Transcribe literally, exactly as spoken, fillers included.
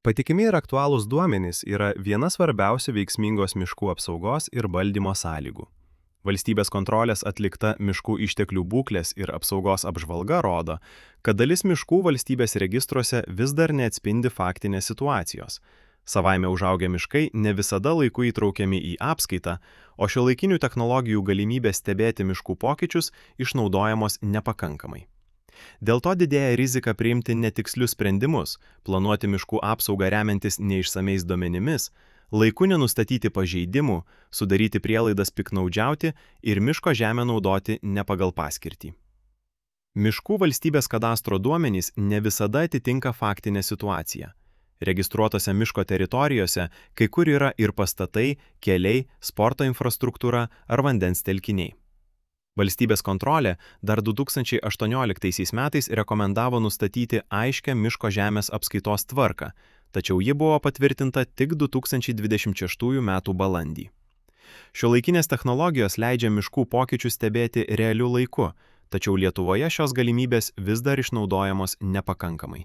Patikimi ir aktualūs duomenys yra viena svarbiausių veiksmingos miškų apsaugos ir valdymo sąlygų. Valstybės kontrolės atlikta miškų išteklių būklės ir apsaugos apžvalga rodo, kad dalis miškų valstybės registruose vis dar neatspindi faktinės situacijos. Savaime užaugę miškai ne visada laiku įtraukiami į apskaitą, o šiuolaikinių technologijų galimybė stebėti miškų pokyčius išnaudojamos nepakankamai. Dėl to didėja rizika priimti netikslius sprendimus, planuoti miškų apsaugą remiantis neišsamiais duomenimis, laiku nenustatyti pažeidimų, sudaryti prielaidas piknaudžiauti ir miško žemę naudoti ne pagal paskirtį. Miškų valstybės kadastro duomenys ne visada atitinka faktinę situaciją. Registruotose miško teritorijose kai kur yra ir pastatai, keliai, sporto infrastruktūra ar vandens telkiniai. Valstybės kontrolė dar du tūkstančiai aštuonioliktaisiais metais rekomendavo nustatyti aiškią miško žemės apskaitos tvarką, tačiau ji buvo patvirtinta tik du tūkstančiai dvidešimt šeštųjų metų balandį. Šiuolaikinės technologijos leidžia miškų pokyčius stebėti realiu laiku, tačiau Lietuvoje šios galimybės vis dar išnaudojamos nepakankamai.